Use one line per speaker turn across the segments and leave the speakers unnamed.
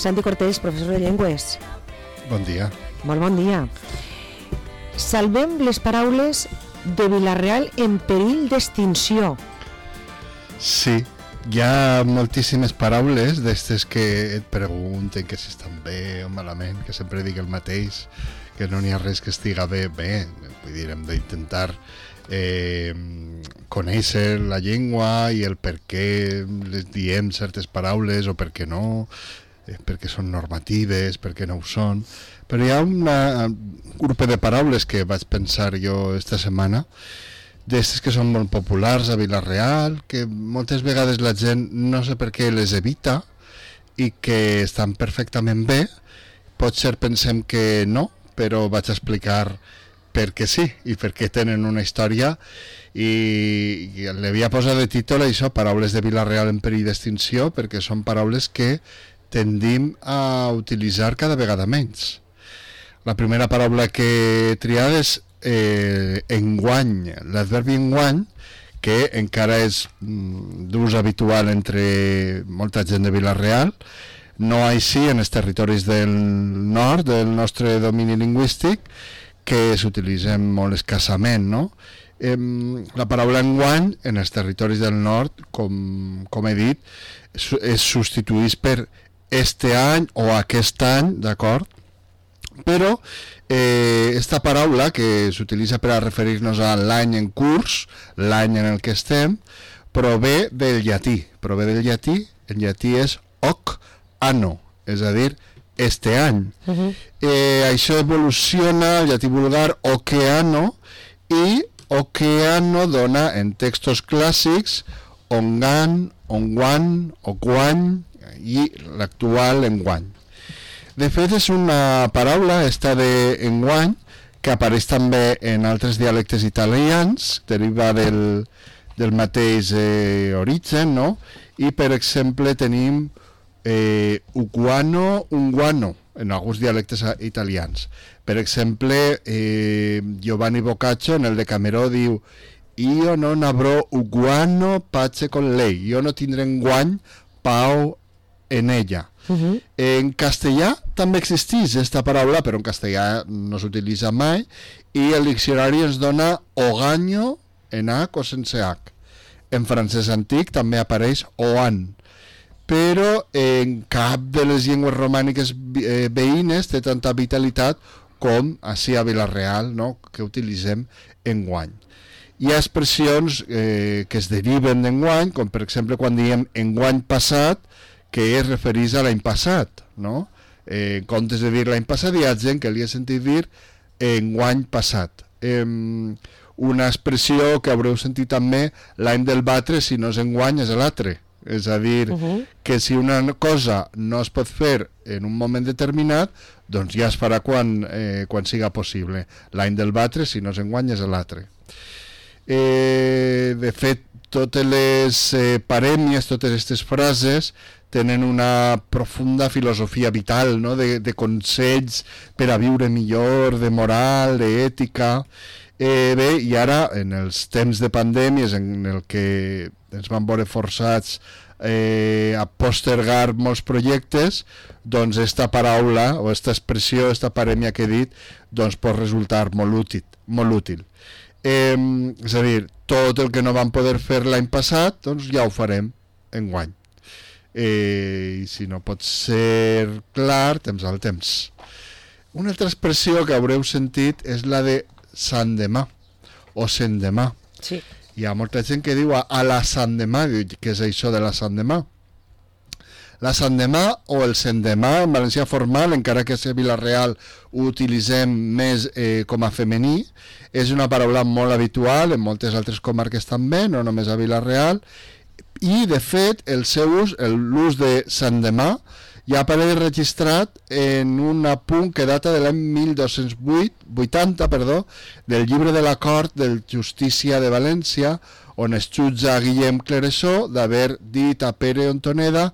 Santi Cortés, professor de llengües.
Bon dia.
Molt bon dia. Salvem les paraules de Vila-real en perill d'extinció.
Sí, hi ha moltíssimes paraules d'estes que et pregunten que si estan bé o malament, que sempre dic el mateix, que no n'hi ha res que estiga bé. Vull dir, hem d'intentar conèixer la llengua i el per què les diem certes paraules o per què no, perquè són normatives, perquè no ho són. Però hi ha un grup de paraules que vaig pensar jo esta setmana, d'estes que són molt populars a Vila-real, que moltes vegades la gent no sé per què les evita i que estan perfectament bé. Potser pensem que no, però vaig a explicar perquè sí i perquè tenen una història i l'havia posat de títol això, paraules de Vila-real en perill d'extinció, perquè són paraules que tendim a utilitzar cada vegada menys. La primera paraula que he triat és enguany, l'adverbi enguany, que encara és d'ús habitual entre molta gent de Vila-real, no així en els territoris del nord del nostre domini lingüístic, que s'utilitzen molt escassament, no? La paraula enguany en els territoris del nord, com he dit, es substitueix per este any o aquest any, d'acord? Però esta paraula que s'utilitza per a referir-nos a l'any en curs, l'any en el que estem, prové del llatí. En llatí és hoc anno, és a dir, este any. Això evoluciona al llatí vulgar oceano i oceano dona en textos clàssics ongan, onguan, oguany i l'actual enguany. De fet, és una paraula, esta de enguany, que apareix també en altres dialectes italians, deriva del mateix origen, no? I, per exemple, tenim uguano, unguano, en alguns dialectes italians. Per exemple, Giovanni Boccaccio, en el Decameró, diu «Io non avrò uguano pace con lei», jo no tindré enguany pau en ella. En castellà també existeix aquesta paraula, però en castellà no s'utilitza mai, i el diccionari ens dona ogaño en H o sense H. En francès antic també apareix oan, però en cap de les llengües romàniques veïnes té tanta vitalitat com així a Vila-real, no? Que utilitzem enguany. Hi ha expressions que es deriven d'enguany, com per exemple quan diem enguany passat, que es refereix a l'any passat, no? En comptes de dir l'any passat, hi ha gent que li ha sentit dir enguany passat. Una expressió que haureu sentit també, l'any del batre, si no és enguany, és l'altre. És a dir, que si una cosa no es pot fer en un moment determinat, doncs ja es farà quan siga possible. L'any del batre, si no és enguany, és l'altre. De fet, totes les parèmies, totes aquestes frases tenen una profunda filosofia vital, no? de consells per a viure millor, de moral, d'ètica. Bé, i ara, en els temps de pandèmies en el que ens van veure forçats a postergar molts projectes, doncs esta paraula o esta expressió, esta parèmia que he dit, doncs pot resultar molt útil. És a dir, tot el que no vam poder fer l'any passat, doncs ja ho farem enguany. I si no pot ser clar, temps al temps. Una altra expressió que haureu sentit és la de Sant demà o sendemà.
Sí.
Hi ha molta gent que diu a la Sant demà, què és això de la Sant demà? La Sant demà o el sendemà en valencià formal, encara que a Vila-real ho utilitzem més com a femení, és una paraula molt habitual en moltes altres comarques també, no només a Vila-real, i de fet l'ús de Sant demà ja apareix registrat en un apunt que data de l'any 1280, del llibre de l'acord del Justícia de València, on es jutja a Guillem Cleresó d'haver dit a Pere Ontoneda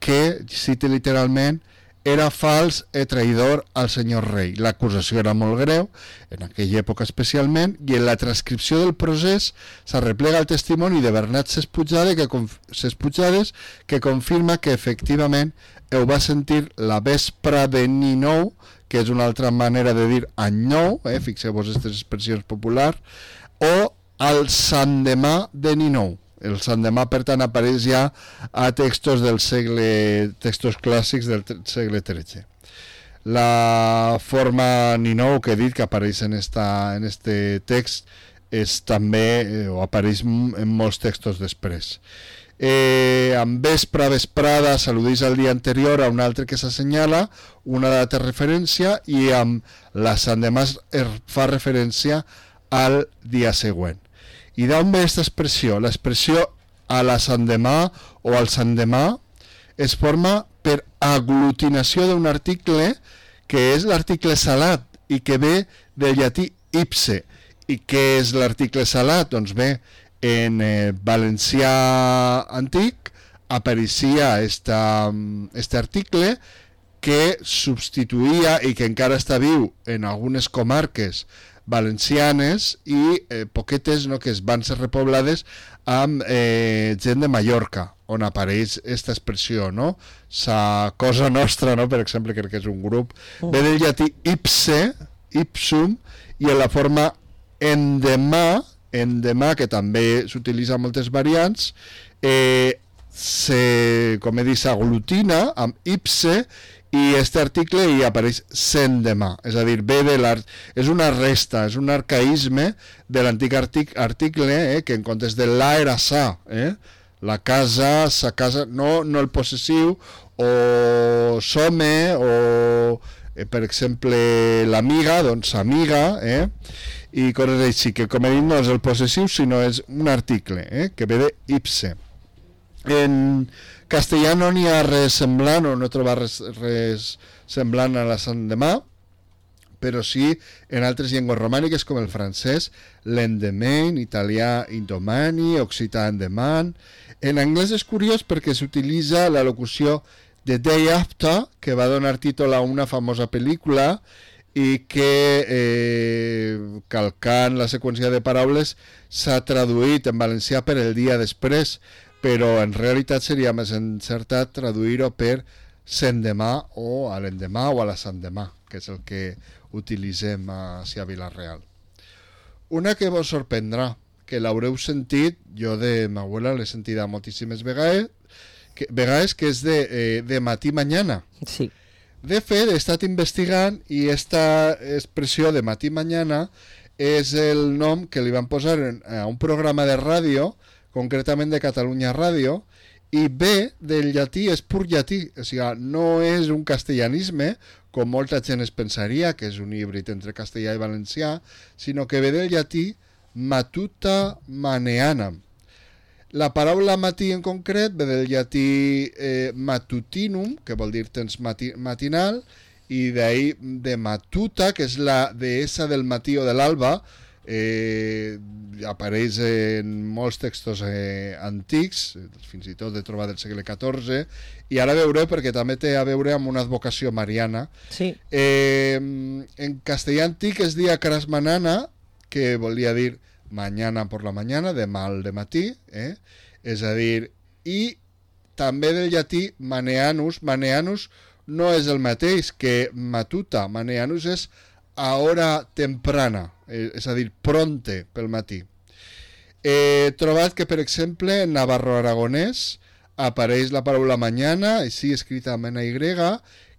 que, cite literalment, era fals i traïdor al senyor rei. L'acusació era molt greu, en aquella època especialment, i en la transcripció del procés s'arreplega el testimoni de Bernat Sesputxades que confirma que efectivament ho va sentir la vespra de Ninou, que és una altra manera de dir any nou, fixeu-vos aquestes expressions populars, o al Sant Demà de Ninou. El Sant Demà, per tant, apareix ja a textos clàssics del segle XIII. La forma Ninou que he dit que apareix en este text és també, o apareix en molts textos després. Amb vesprada s'al·ludeix al dia anterior a un altre que s'assenyala, una data de referència, i amb la Sant Demà fa referència al dia següent. I d'on ve aquesta expressió? L'expressió a la Sant Demà o al Sant Demà es forma per aglutinació d'un article que és l'article salat i que ve del llatí ipse. I què és l'article salat? Doncs bé, en valencià antic apareixia este article que substituïa i que encara està viu en algunes comarques valencianes i poquetes, no, que es van ser repoblades amb gent de Mallorca, on apareix aquesta expressió, no? Sa cosa nostra, no? Per exemple, crec que és un grup, ve del llatí ipse, ipsum, i en la forma endemà, que també s'utilitza en moltes variants, com he dit, s'aglutina amb ipse, i este article hi apareix s'endemà, és a dir, és una resta, és un arcaïsme de l'antic article, que en comptes de la era sa, la casa, sa casa, no el possessiu, o some, o per exemple l'amiga, doncs amiga, i coses així, que com he dit no és el possessiu, sinó és un article, que ve de ipse. En castellà no n'hi ha res semblant, o no he trobat res semblant a la Sant Demà, però sí en altres llengües romàniques com el francès, l'endemain, italià indomani, occità endeman. En anglès és curiós perquè s'utilitza la locució The Day After, que va donar títol a una famosa pel·lícula i que, calcant la seqüència de paraules, s'ha traduït en valencià per el dia després, però en realitat seria més encertat traduir-ho per s'endemà o a l'endemà o a la Sant Demà, que és el que utilitzem a Vilareal. Una que vos sorprendrà, que l'haureu sentit, jo de ma abuela l'he sentida moltíssimes vegades, que és de matí mañana.
Sí.
De fet, he estat investigant i esta expressió de matí mañana és el nom que li van posar a un programa de ràdio, concretament de Catalunya Ràdio, i ve del llatí, és pur llatí, o sigui, no és un castellanisme, com molta gent es pensaria, que és un híbrid entre castellà i valencià, sinó que ve del llatí matuta maneanam. La paraula matí en concret ve del llatí matutinum, que vol dir temps matinal, i d'ahir de matuta, que és la deessa del matí o de l'alba, apareix en molts textos antics, fins i tot de trobar del segle XIV, i ara veureu perquè també té a veure amb una advocació mariana.
Sí.
En castellà antic es dia crasmanana, que volia dir mañana por la mañana, demà al matí, és a dir, i també del llatí maneanus. Maneanus no és el mateix que matuta, maneanus és a hora temprana, és a dir, pronte pel matí. He trobat que, per exemple, en navarro-aragonès apareix la paraula mañana, així escrita amb N-Y,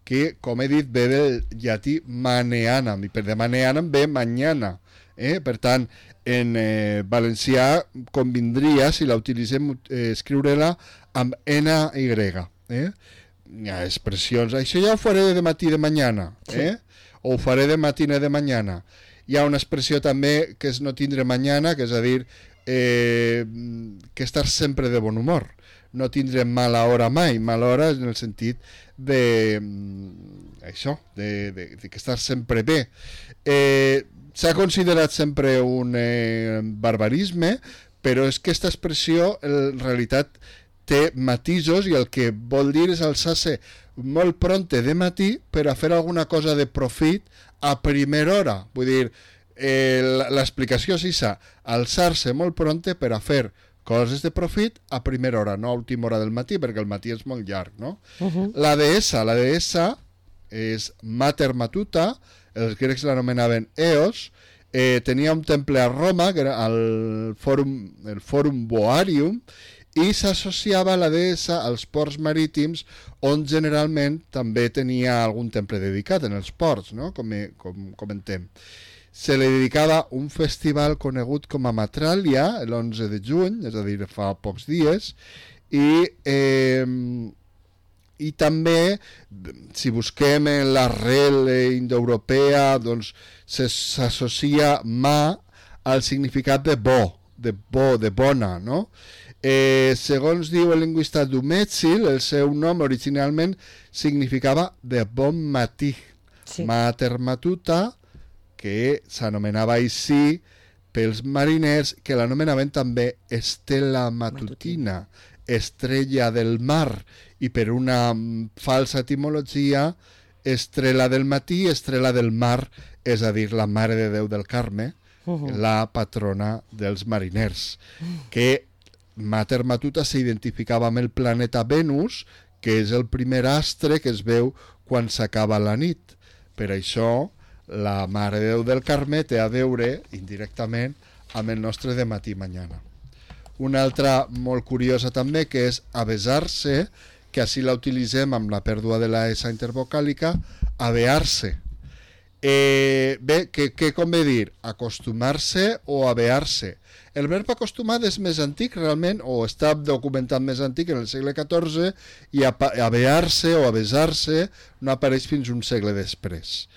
que, com he dit, ve del llatí maneanam, i per de maneanam ve mañana. Per tant, en valencià convindria, si la utilitzem, escriure-la amb N-Y. Hi ha expressions, això ja ho faré de matí de mañana, o ho faré de matina de mañana. Hi ha una expressió també que és no tindre mañana, que és a dir, que estar sempre de bon humor, no tindre mala hora mai. Mala hora en el sentit de això, de que estar sempre bé. S'ha considerat sempre un barbarisme, però és que aquesta expressió en realitat té matisos i el que vol dir és alçar-se molt pronte de matí per a fer alguna cosa de profit a primera hora. Vull dir, l'explicació és això, alçar-se molt pronte per a fer coses de profit a primera hora, no a última hora del matí, perquè el matí és molt llarg, no? La deessa és Mater Matuta, els grecs l'anomenaven Eos, tenia un temple a Roma, que era el Forum Boarium, i s'associava la deessa als ports marítims, on generalment també tenia algun temple dedicat en els ports, no? Com comentem. Se li dedicava un festival conegut com a Matràlia, l'11 de juny, és a dir, fa pocs dies, i també, si busquem en l'arrel indoeuropea, doncs s'associa mà al significat de de bona, no? Segons diu el lingüista Dumézil, el seu nom originalment significava de bon matí. Sí. Mater Matuta, que s'anomenava així pels mariners, que l'anomenaven també Estela Matutina, estrella del mar, i per una falsa etimologia, estrela del matí, estrela del mar, és a dir, la Mare de Déu del Carme, la patrona dels mariners, que Mater Matuta s'identificava amb el planeta Venus, que és el primer astre que es veu quan s'acaba la nit. Per això, la Mare de Déu del Carme té a veure, indirectament, amb el nostre de matí mañana. Una altra molt curiosa també, que és avesar-se, que així la utilitzem amb la pèrdua de la S intervocàlica, avear-se. Bé, què convé dir? Acostumar-se o avear-se. El verb acostumat és més antic realment, o està documentat més antic en el segle XIV, i avear-se o avesar-se no apareix fins un segle després.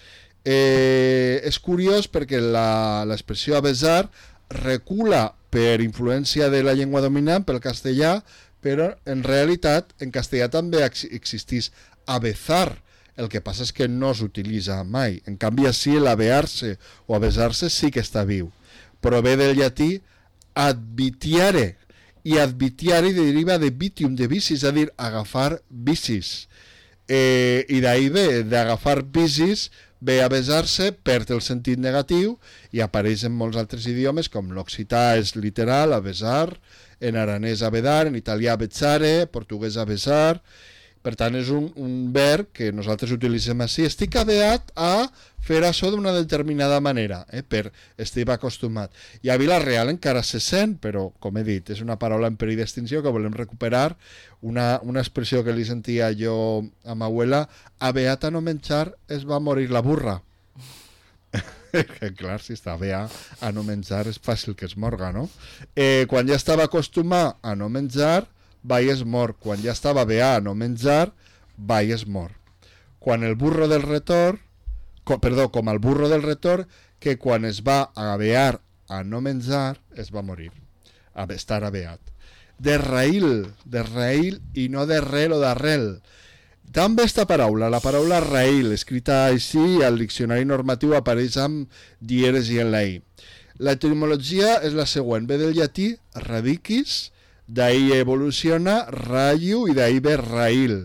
És curiós perquè l'expressió avesar recula per influència de la llengua dominant, pel castellà, però en realitat en castellà també existís avezar. El que passa és que no s'utilitza mai. En canvi, així l'avear-se o avesar-se sí que està viu. Prové del llatí advitiare, i advitiare deriva de vitium, de vicis, és a dir, agafar vicis. I d'ahir ve, d'agafar vicis, ve a besar-se, perd el sentit negatiu i apareix en molts altres idiomes, com l'occità és literal, a besar, en aranès a vedar, en italià a bezzare, portuguès a besar. Per tant, és un verb que nosaltres utilitzem així. Estic aveat a fer això d'una determinada manera, per estic acostumat. I a Vila-real encara se sent, però, com he dit, és una paraula en perill d'extinció que volem recuperar, una expressió que li sentia jo a ma abuela: aveat a no menjar es va morir la burra. Clar, si està aveat a no menjar és fàcil que es morga, no? Quan ja estava acostumat a no menjar, vai es mor. Quan ja estava aveat a no menjar, vai es mor. Quan el burro del retorn, com el burro del retorn, que quan es va avear a no menjar, es va morir, a estar aveat. De raïl i no de rel o d'arrel. També esta paraula, la paraula raïl, escrita així, al diccionari normatiu apareix amb dieres i en la i. L'etimologia és la següent, ve del llatí radicis, d'ahí evoluciona rayo i d'ahí ve raïl.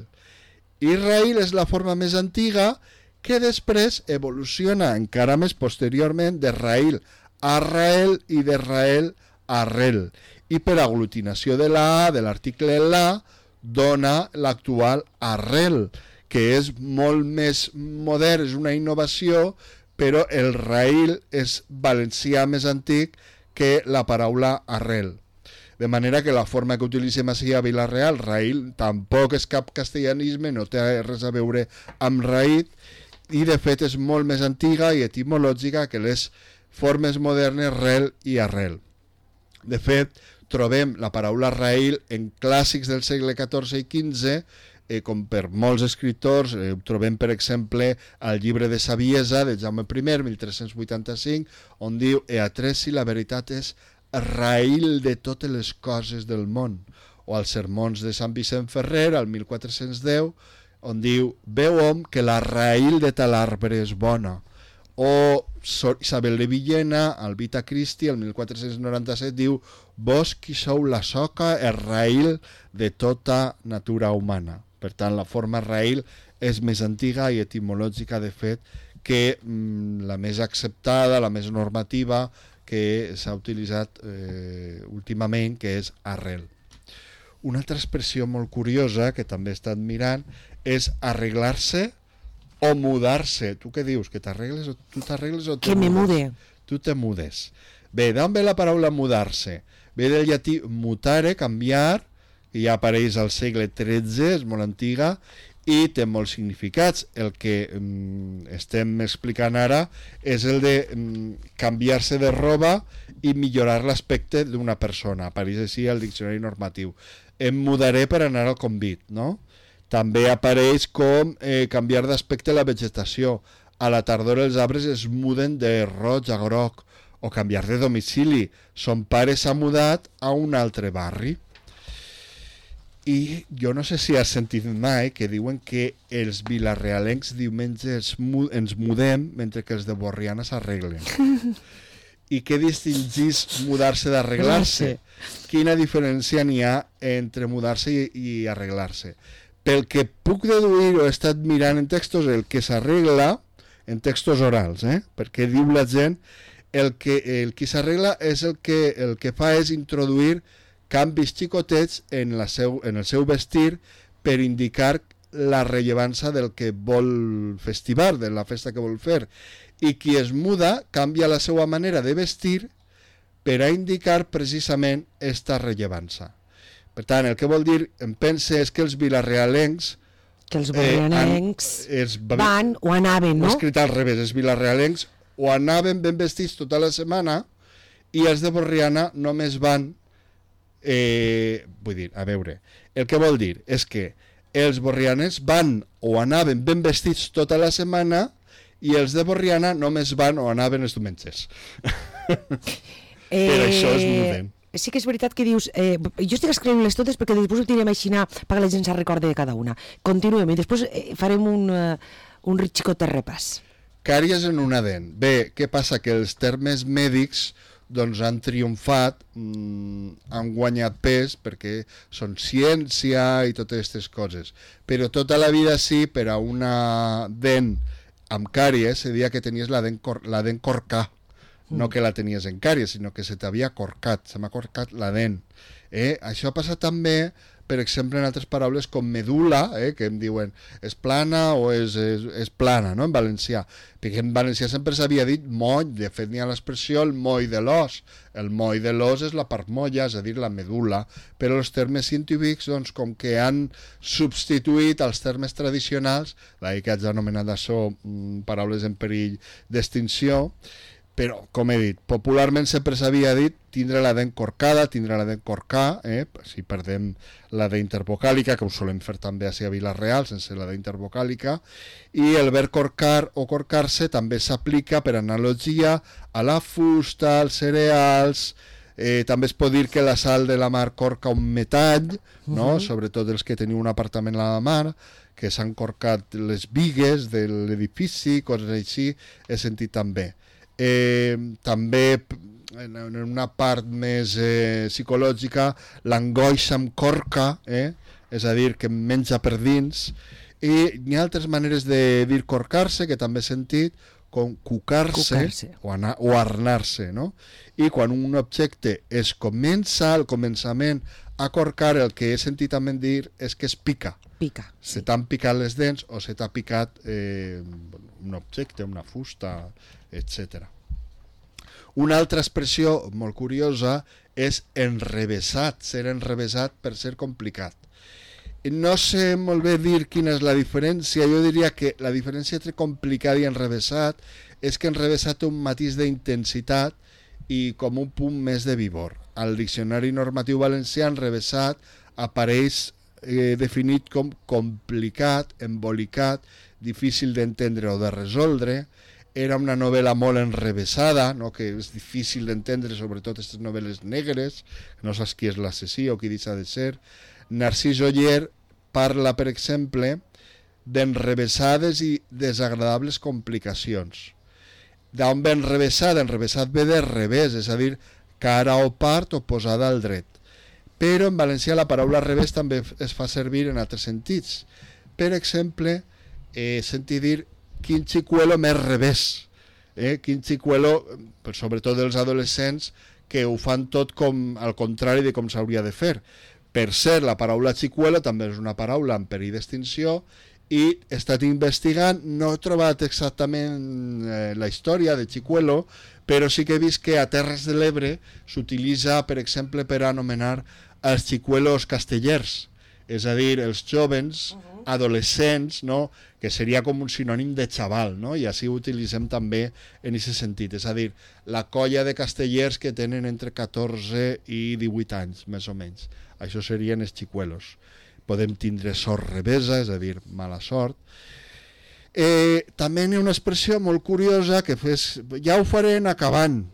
I raïl és la forma més antiga que després evoluciona encara més posteriorment de raïl a rael i de rael a rel. I per aglutinació de la A, de l'article la, dona l'actual arrel, que és molt més modern, és una innovació, però el raïl és valencià més antic que la paraula arrel. De manera que la forma que utilitzem així a Vila-real, raïl, tampoc és cap castellanisme, no té res a veure amb raït, i de fet és molt més antiga i etimològica que les formes modernes rel i arrel. De fet, trobem la paraula raïl en clàssics del segle XIV i XV, com per molts escriptors. Trobem, per exemple, el llibre de Saviesa de Jaume I, 1385, on diu: «E atresi la veritat és raïl de totes les coses del món», o als sermons de Sant Vicent Ferrer, al 1410, on diu: «Veu hom que la raïl de tal arbre és bona», o Isabel de Villena, al Vita Christi, el 1497, diu: «Vos qui sou la soca és raïl de tota natura humana». Per tant, la forma raïl és més antiga i etimològica, de fet, que la més acceptada, la més normativa que s'ha utilitzat últimament, que és arrel. Una altra expressió molt curiosa que també he estat mirant és arreglar-se o mudar-se. Tu què dius? Que t'arregles o tu t'arregles o te
Que me
mudes?
mude.
Tu te mudes. Bé, d'on ve la paraula mudar-se? Ve del llatí mutare, canviar, que ja apareix al segle XIII, és molt antiga, i té molts significats. El que estem explicant ara és el de canviar-se de roba i millorar l'aspecte d'una persona. Apareix així al diccionari normatiu. Em mudaré per anar al convit, no? També apareix com canviar d'aspecte la vegetació. A la tardor els arbres es muden de roig a groc, o canviar de domicili. Son pare s'ha mudat a un altre barri. I jo no sé si has sentit mai que diuen que els vilarealencs diumenge ens mudem mentre que els de Borriana s'arreglen. I què distingís mudar-se d'arreglar-se? Quina diferència n'hi ha entre mudar-se i arreglar-se? Pel que puc deduir o he estat mirant en textos, el que s'arregla, en textos orals, perquè diu la gent, el qui s'arregla és el que fa és introduir canvis xicotets en el seu vestir per indicar la rellevància del que vol festivar, de la festa que vol fer. I qui es muda canvia la seva manera de vestir per a indicar precisament esta rellevància. Per tant, el que vol dir, em pense, és que els vilarealencs
Que els borrianencs van o anaven, no?
Ho he escrit al revés, els vilarealencs o anaven ben vestits tota la setmana i els de Borriana només van vull dir, a veure, el que vol dir és que els borrianens van o anaven ben vestits tota la setmana i els de Borriana només van o anaven els diumenges. Per això es muden.
Sí que és veritat que dius, jo estic escrivint-les totes perquè després ho tirem així perquè la gent se'n recorda de cada una. Continuem i després farem un xicot de repàs.
Càries en una dent. Bé, què passa? Que els termes mèdics doncs han triomfat, han guanyat pes perquè són ciència i totes aquestes coses. Però tota la vida sí, per a una dent amb càries se deia que tenies la dent corcà. No que la tenies en càries, sinó que se t'havia corcat, se m'ha corcat la dent. Això passa també, per exemple, en altres paraules com medul·la, que em diuen és plana o és plana, no?, en valencià. Perquè en valencià sempre s'havia dit moll, de fet n'hi ha l'expressió el moll de l'os. El moll de l'os és la part molla, és a dir, la medul·la, però els termes científics, doncs, com que han substituït els termes tradicionals, que haig anomenat això paraules en perill d'extinció, però, com he dit, popularment sempre s'havia dit tindre la dent corcada, tindre la dent corcà, si perdem la dent intervocàlica, que ho solem fer també a Vila-real, sense la dent intervocàlica, i el verb corcar o corcar-se també s'aplica per analogia a la fusta, als cereals, també es pot dir que la sal de la mar corca un metall, no? Sobretot els que teniu un apartament a la mar, que s'han corcat les bigues de l'edifici, coses així, he sentit també. També en una part més psicològica, l'angoixa em corca, és a dir, que em menja per dins, i hi ha altres maneres de dir corcar-se que també he sentit, com cucar-se o arnar-se, no? I quan un objecte es comença al començament a corcar, el que he sentit també dir és que es pica.
Pica.
Se t'han picat les dents o se t'ha picat un objecte, una fusta, etc. Una altra expressió molt curiosa és enrevessat, ser enrevessat per ser complicat. No sé molt bé dir quina és la diferència, jo diria que la diferència entre complicat i enrevessat és que enrevessat té un matís d'intensitat i com un punt més de vigor. Al diccionari normatiu valencià, enrevessat apareix definit com complicat, embolicat, difícil d'entendre o de resoldre. Era una novel·la molt enrevessada, no? Que és difícil d'entendre, sobretot aquestes novel·les negres, no saps qui és l'assassí o qui deixa de ser. Narcís Oller parla, per exemple, d'enrevessades i desagradables complicacions. D'on ve enrevessat? Enrevessat ve de revés, és a dir, cara o part oposada al dret. Però en valencià la paraula revés també es fa servir en altres sentits. Per exemple, sentir dir quin xicuelo més revés, quin xicuelo, sobretot dels adolescents, que ho fan tot com al contrari de com s'hauria de fer. Per cert, la paraula xicuelo també és una paraula en perill d'extinció i he estat investigant, no he trobat exactament la història de xicuelo, però sí que he vist que a Terres de l'Ebre s'utilitza, per exemple, per anomenar els xicuelos castellers, és a dir, els jovens, adolescents, no? Que seria com un sinònim de xaval, no? I així ho utilitzem també en aquest sentit, és a dir, la colla de castellers que tenen entre 14 i 18 anys, més o menys. Això serien els xicuelos. Podem tindre sort revesa, és a dir, mala sort. També hi ha una expressió molt curiosa que ja ho faré en acabant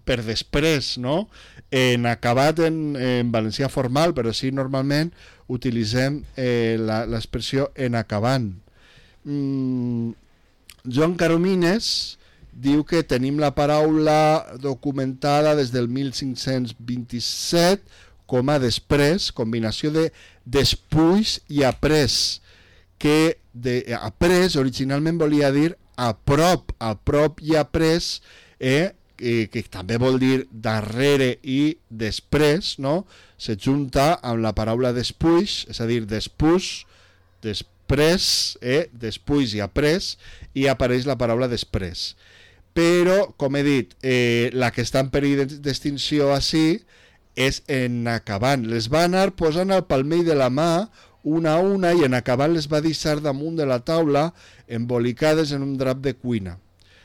per després, no? En acabat en valencià formal, però sí normalment utilitzem l'expressió en acabant. Joan Caromines diu que tenim la paraula documentada des del 1527 com a després, combinació de despuix i après, que après originalment volia dir a prop i après, que també vol dir darrere i després, no? Se junta amb la paraula despuix, és a dir, després, despuix i après, i apareix la paraula després. Però, com he dit, la que està en perill d'extinció així és en acabant. Les va anar posant al palmell de la mà una a una i en acabant les va deixar damunt de la taula embolicades en un drap de cuina.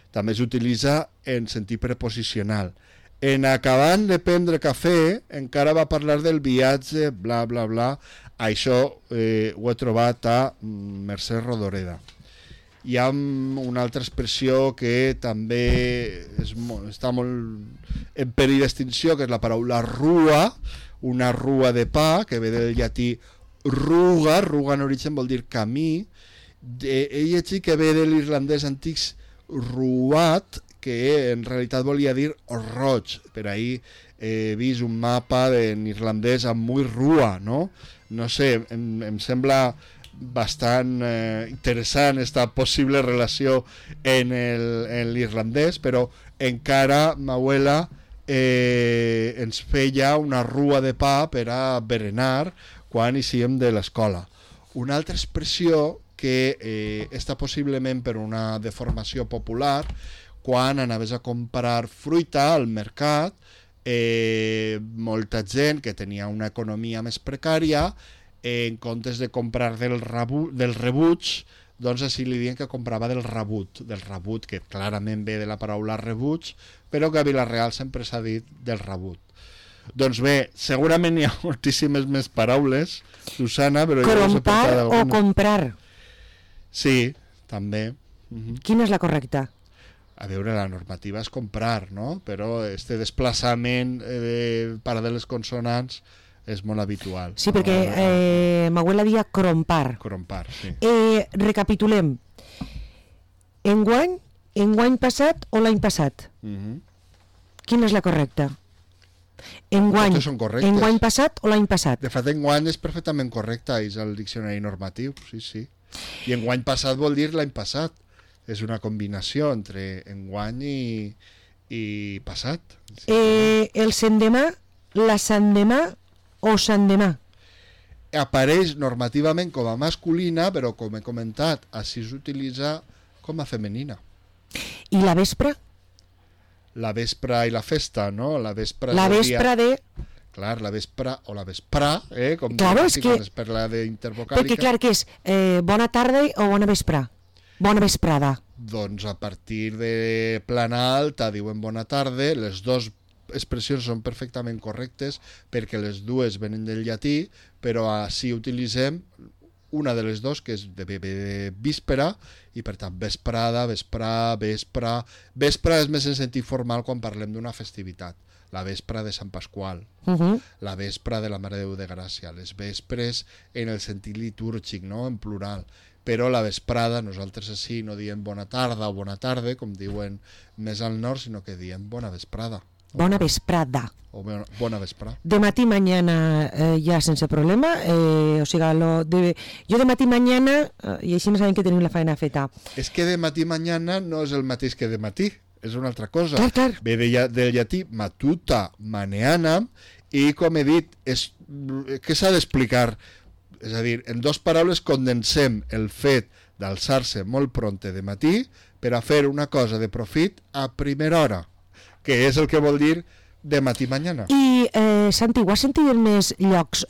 També s'utilitza en sentit preposicional. En acabant de prendre cafè, encara va parlar del viatge, bla, bla, bla. Això ho he trobat a Mercè Rodoreda. Hi ha una altra expressió que també està molt en perill d'extinció, que és la paraula rua, una rua de pa, que ve del llatí ruga, ruga en origen vol dir camí. He llegit que ve de l'irlandès antic ruat, que en realitat volia dir roig. Per ahir he vist un mapa en irlandès amb muy rua, no? No sé, em sembla bastant interessant esta possible relació en l'irlandès, però encara ma abuela ens feia una rua de pa per a berenar quan eixíem de l'escola. Una altra expressió que està possiblement per una deformació popular, quan anaves a comprar fruita al mercat, molta gent que tenia una economia més precària, en comptes de comprar del rebuig, doncs així li diuen que comprava del rebut, que clarament ve de la paraula rebuig, però que a Vila-real sempre s'ha dit del rebut. Doncs bé, segurament hi ha moltíssimes més paraules, Susana, però...
Crompar o comprar?
Sí, també.
Quina és la correcta?
A veure, la normativa és comprar, no? Però este desplaçament de paral·leles consonants és molt habitual.
Sí, perquè m'abuela dia crompar.
Crompar, sí.
Recapitulem. Enguany passat o l'any passat? Quina és la correcta?
Totes són correctes.
Enguany passat o l'any passat?
De fet, enguany és perfectament correcta, és el diccionari normatiu, sí. I enguany passat vol dir l'any passat. És una combinació entre enguany i passat. Sí.
El sendemà, la sandemà o sandemà?
Apareix normativament com a masculina, però com he comentat, així s'utilitza com a femenina.
I la vespre?
La vespre i la festa, no? La vespre
de...
Clar, la vespre o la vesprà, com
claro, és que...
per la d'intervocàlica.
Perquè clar que és bona tarda o bona vesprà? Bona vesprada.
Doncs a partir de plana alta diuen bona tarda, les dues expressions són perfectament correctes perquè les dues venen del llatí, però així utilitzem una de les dues, que és de víspera, i per tant vesprada, vesprà, vespre... Vespre és més en sentit formal quan parlem d'una festivitat. La vespra de Sant Pasqual, la vespra de la Mare de Déu de Gràcia, les vespres en el sentit litúrgic, no? En plural. Però la vesprada, nosaltres així no diem bona tarda o bona tarda, com diuen més al nord, sinó que diem bona vesprada.
Bona vesprada.
O bona vesprada.
De matí mañana ja sense problema, o sigui, jo de matí mañana, i així no sabem que tenim la feina feta.
És que de matí mañana no és el mateix que de matí, és una altra cosa.
Clar.
Ve del llatí matuta maneanam, i com he dit, què s'ha d'explicar? És a dir, en dues paraules condensem el fet d'alçar-se molt pronte de matí per a fer una cosa de profit a primera hora, que és el que vol dir de matí mañana.
I, Santi, ho has sentit en més llocs?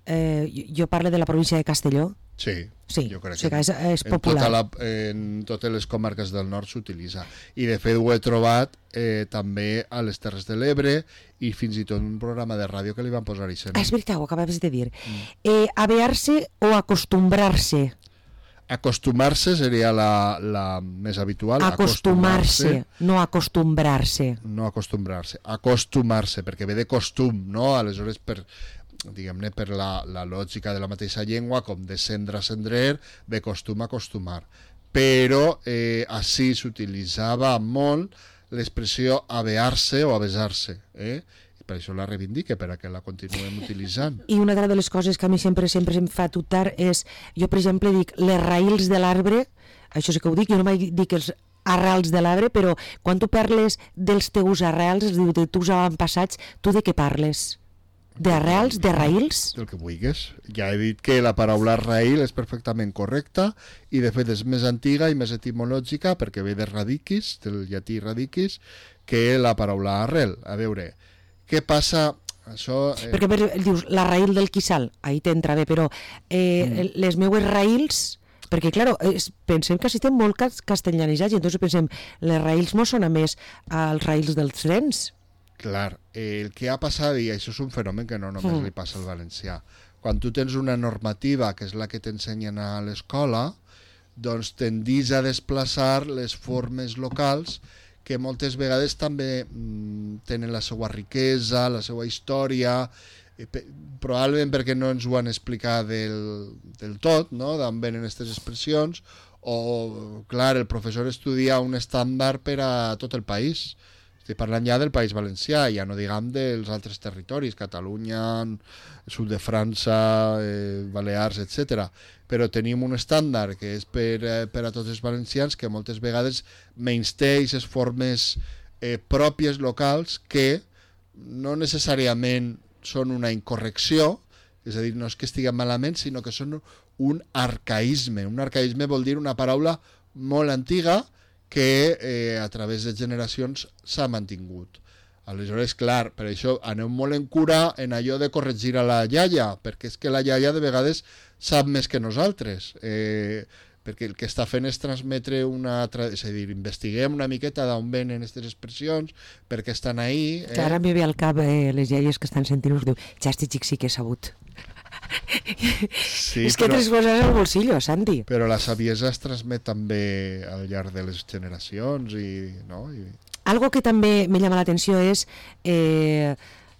Jo parlo de la província de Castelló.
Sí, jo crec
que és popular.
En totes les comarques del nord s'utilitza. I de fet ho he trobat també a les Terres de l'Ebre i fins i tot un programa de ràdio que li van posar això.
És veritat, ho acabes de dir. Avear-se o acostumbrar-se?
Acostumar-se seria la més habitual.
Acostumar-se, no acostumbrar-se.
No acostumbrar-se, acostumar-se, perquè ve de costum, no? Aleshores, diguem-ne, per la lògica de la mateixa llengua, com descendre, ascendrer, ve costum, acostumar. Però així s'utilitzava molt l'expressió avear-se o avesar-se, per això la reivindique, per a que la continuem utilitzant.
I una de les coses que a mi sempre em fa tutar és, jo per exemple dic les raïls de l'arbre, això sí que ho dic, jo no mai dic els arrels de l'arbre, però quan tu parles dels teus arrels, de teus avantpassats, tu de què parles? D'arrels, de raïls?
Del que vulguis. Ja he dit que la paraula raïl és perfectament correcta i de fet és més antiga i més etimològica perquè ve de radicis, del llatí radicis, que la paraula arrel. A veure, què passa? Això,
perquè dius la raïl del quissal, ahí t'entra bé, però les meues raïls, perquè clar, pensem que estem molt castellanitzats i entonces pensem, les raïls no són a més als raïls dels trens.
Clar, el que ha passat, i això és un fenomen que no només li passa al valencià, quan tu tens una normativa que és la que t'ensenyen a l'escola, doncs tendís a desplaçar les formes locals que moltes vegades també tenen la seva riquesa, la seva història, probablement perquè no ens ho han explicat del tot, no? D'on venen aquestes expressions, o, clar, el professor estudia un estàndard per a tot el país. Estic parlant ja del País Valencià, ja no diguem dels altres territoris, Catalunya, sud de França, Balears, etc. Però tenim un estàndard que és per a tots els valencians que moltes vegades menysté aquestes formes pròpies locals que no necessàriament són una incorrecció, és a dir, no és que estiguem malament, sinó que són un arcaïsme. Un arcaïsme vol dir una paraula molt antiga que a través de generacions s'ha mantingut. Aleshores, clar, per això aneu molt en cura en allò de corregir a la iaia, perquè és que la iaia de vegades sap més que nosaltres, perquè el que està fent és transmetre és a dir, investiguem una miqueta d'on venen aquestes expressions, perquè estan ahí.
Clar, ara m'hi ve al cap les iaies que estan sentint-nos, diu, ja estic sí que he sabut. Sí, és que tres coses al bolsillo, Santi.
Però la saviesa es transmet també al llarg de les generacions no?
Algo que també me llama l'atenció és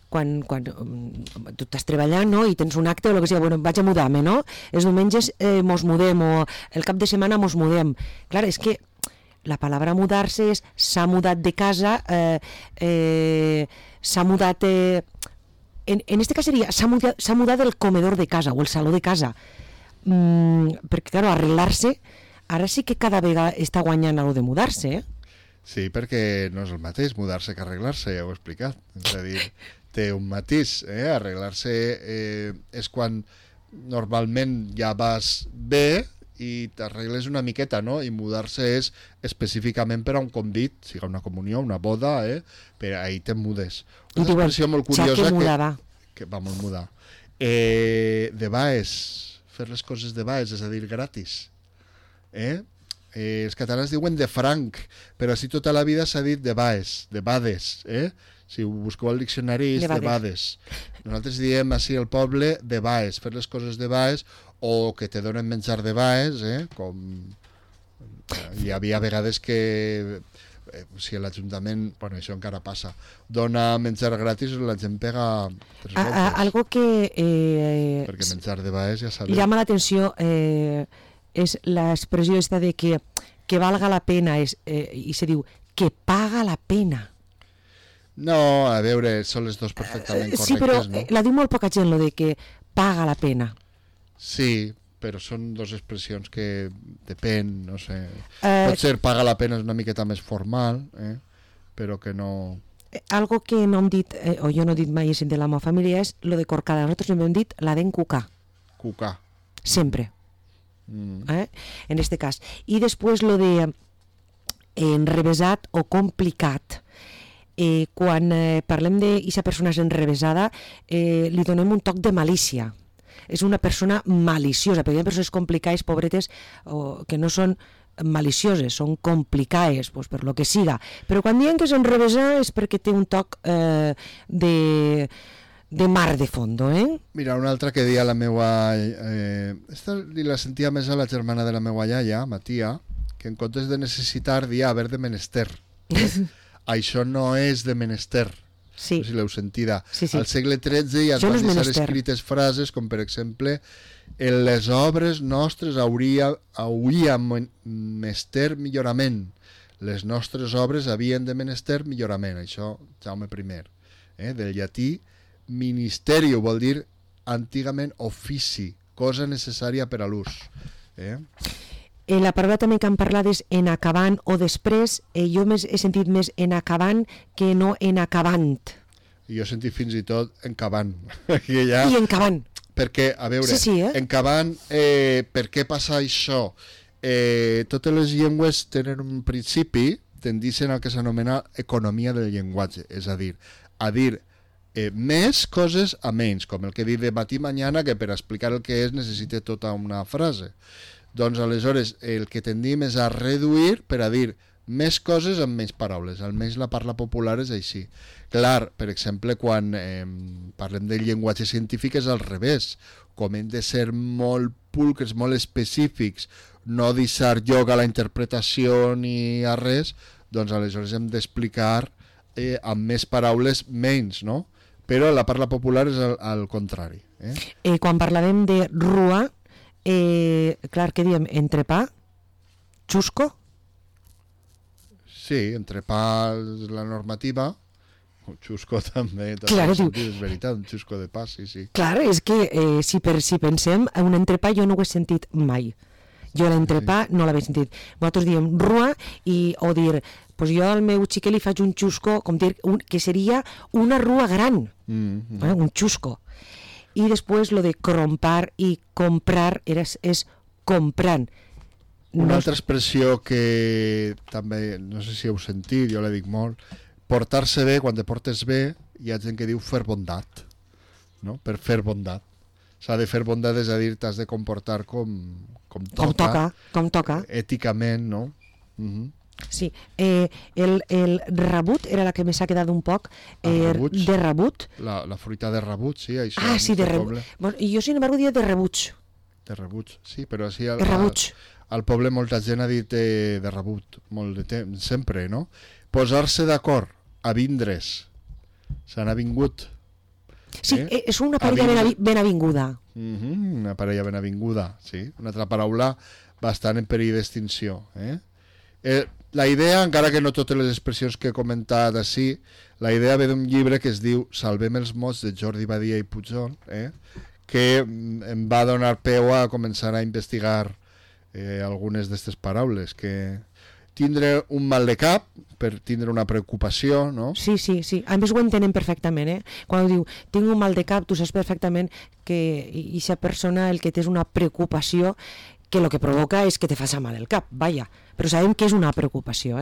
quan tu estàs treballant, no? I tens un acte o el que sigui, bueno, vaig a mudar-me, no? Els diumenges mos mudem o el cap de setmana mos mudem. Clar, és que la paraula mudar-se és s'ha mudat de casa, s'ha mudat... En este cas seria, s'ha mudat el comedor de casa o el saló de casa. Perquè, clar, arreglar-se, ara sí que cada vegada està guanyant algo de mudar-se,
Sí, perquè no és el mateix mudar-se que arreglar-se, ja ho he explicat. És a dir, té un matís. Arreglar-se és quan normalment ja vas bé i t'arregles una miqueta, no? I mudar-se és específicament per a un convit, sigui una comunió, una boda, per ahí te mudes. Una expressió molt curiosa que vamos a mudar. De baix, fer les coses de baix, és a dir, gratis. Els catalans diuen de franc, però així tota la vida s'ha dit de baix, de bades. Si ho busqueu al diccionari és de bades. Nosaltres diem així al poble de baix, fer les coses de baix, o que te donen menjar de baix, com hi havia vegades que si l'Ajuntament, bueno, això encara passa, dona menjar gratis, la gent pega 3 voltes.
Algo que
perquè menjar de baix ja sabeu.
Llama l'atenció és l'expressió esta de que valga la pena i se diu que paga la pena.
No, a veure, són les dues perfectament correctes,
sí, però
no?
la diu molt poca gent, lo de que paga la pena.
Sí, però són dues expressions que depèn, no sé. Potser paga la pena és una miqueta més formal, però que no...
Algo que no hem dit, o jo no he dit mai de la meva família, és lo de corcada. Nosaltres hem dit la d'encucar.
Cucar.
Sempre. En este cas. I després lo de enrevesat o complicat. Quan parlem d'aquesta persona és enrevesada, li donem un toc de malícia. És una persona maliciosa, perquè hi ha persones complicades, pobretes, que no són malicioses, són complicades, pues, per lo que siga. Però quan diuen que és enrevesada és perquè té un toc de mar de fondo,
Mira, una altra que dia la meua... esta la sentia més a la germana de la meua iaia, Matia, que en comptes de necessitar dia haver de menester. Això no és de menester.
Sí.
No sé si l'heu sentida.
Sí, sí.
Al segle XIII ja es van deixar escrites frases com, per exemple, en les obres nostres hauria menester millorament. Les nostres obres havien de menester millorament. Això, Jaume I. Del llatí, ministerio vol dir antigament ofici, cosa necessària per a l'ús.
La paraula també que han parlat és en acabant o després. Jo he sentit més en acabant que no en acabant.
I jo he sentit fins i tot en cavant.
I en cavant.
Perquè, a veure, en cavant, per què passa això? Totes les llengües tenen un principi, tendixen al que s'anomena economia del llenguatge, és a dir més coses a menys, com el que diu de matí mañana, que per explicar el que és necessita tota una frase. Doncs aleshores el que tendim és a reduir per a dir més coses amb menys paraules, almenys la parla popular és així. Clar, per exemple, quan parlem del llenguatge científic és al revés, com hem de ser molt pulcres, molt específics, no deixar lloc a la interpretació ni a res, doncs aleshores hem d'explicar amb més paraules menys, no? Però la parla popular és al contrari.
Quan parlàvem de rua, clar, què diem? Entrepà? Xusco?
Sí, entrepà és la normativa. Xusco també,
clar,
és veritat, un xusco de pa, sí.
Clar, és que si pensem, un entrepà jo no ho he sentit mai. Jo l'entrepà no l'havia sentit. Nosaltres diem rua o dir, pues jo al meu xiquet li faig un xusco, com dir, que seria una rua gran, un xusco. I després lo de crompar i comprar és comprant.
Una altra expressió que també, no sé si heu sentit, jo la dic molt, portar-se bé, quan te portes bé, hi ha gent que diu fer bondat, no? Per fer bondat. S'ha de fer bondat, és a dir, t'has de comportar com toca. Èticament, no?
Sí, el rebut era la que m'ha quedat un poc de rebut.
La fruita de rebut, sí, això.
Ah, sí, de rebut. Jo, sin embargo, diria de rebuig.
De rebuig, sí, però així al poble molta gent ha dit de rebut, molt de temps, sempre, no? Posar-se d'acord, a vindre's, se n'ha vingut.
Sí, és una parella ben avinguda.
Una parella ben avinguda, sí. Una altra paraula bastant en perill d'extinció. La idea, encara que no totes les expressions que he comentat així, la idea ve d'un llibre que es diu Salvem els mots, de Jordi Badia i Pujol, que em va donar peu a començar a investigar algunes d'aquestes paraules, que tindre un mal de cap per tindre una preocupació, no?
Sí. A més ho entenen perfectament, Quan diu, tinc un mal de cap, tu saps perfectament que aquesta persona el que té és una preocupació que el que provoca és que te faci mal el cap, vaja. Però sabem que és una preocupació,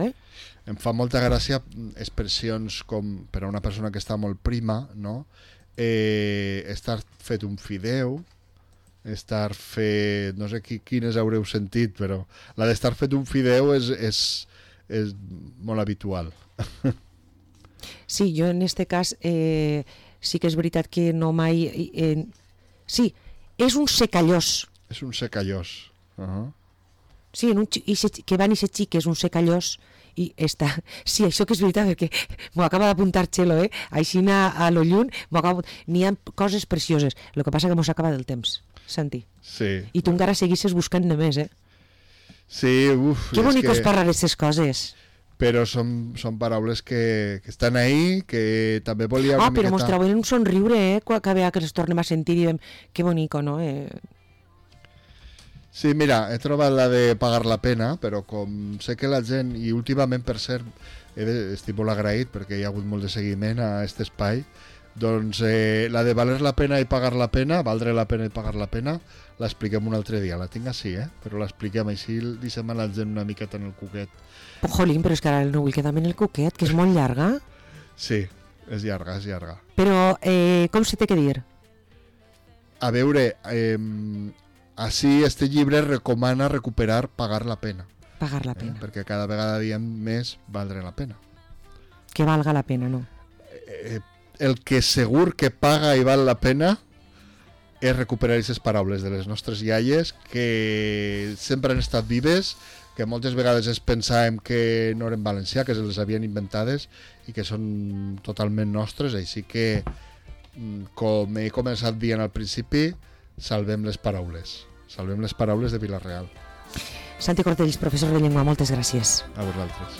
Em fa molta gràcia expressions com per a una persona que està molt prima, no? Estar fet un fideu, estar fet... no sé quines haureu sentit, però la d'estar fet un fideu és molt habitual.
Sí, jo en este cas sí que és veritat que no mai... sí, és un secallós.
És un secallós.
Sí, que va néixer xic, és un secallós i està... Sí, això que és veritat, perquè m'ho acaba d'apuntar Txelo, així a lo lluny, n'hi ha coses precioses, el que passa que m'ho s'acaba del temps, Santi.
Sí.
I tu encara seguisses buscant de més,
Sí,
Que bonic és parlar d'aquestes coses.
però són paraules que estan ahí, que també volia una
però
miqueta...
mos trauen un somriure, cada vegada que les tornem a sentir i diem, que bonico, no?
Sí, mira, he trobat la de pagar la pena, però com sé que la gent, i últimament per cert, estic molt agraït perquè hi ha hagut molt de seguiment a aquest espai, doncs la de valer la pena i pagar la pena, valdre la pena i pagar la pena, l'expliquem un altre dia, la tinc així, però l'expliquem així, deixem a la gent una miqueta en el cuquet.
Jolín, però és que ara no vull quedar-me en el cuquet, que és molt llarga.
Sí, és llarga, és llarga.
Però com se té que dir?
A veure, així este llibre recomana recuperar pagar la pena.
Pagar la pena.
Perquè cada vegada diem més valdre la pena.
Que valga la pena, no?
El que segur que paga i val la pena és recuperar aquestes paraules de les nostres iaies que sempre han estat vives, que moltes vegades es pensàvem que no eren valencià, que se les havien inventades i que són totalment nostres, així que, com he començat dient al principi, salvem les paraules de Vila-real.
Santi Cortells, professor de llengua, moltes gràcies.
A vosaltres.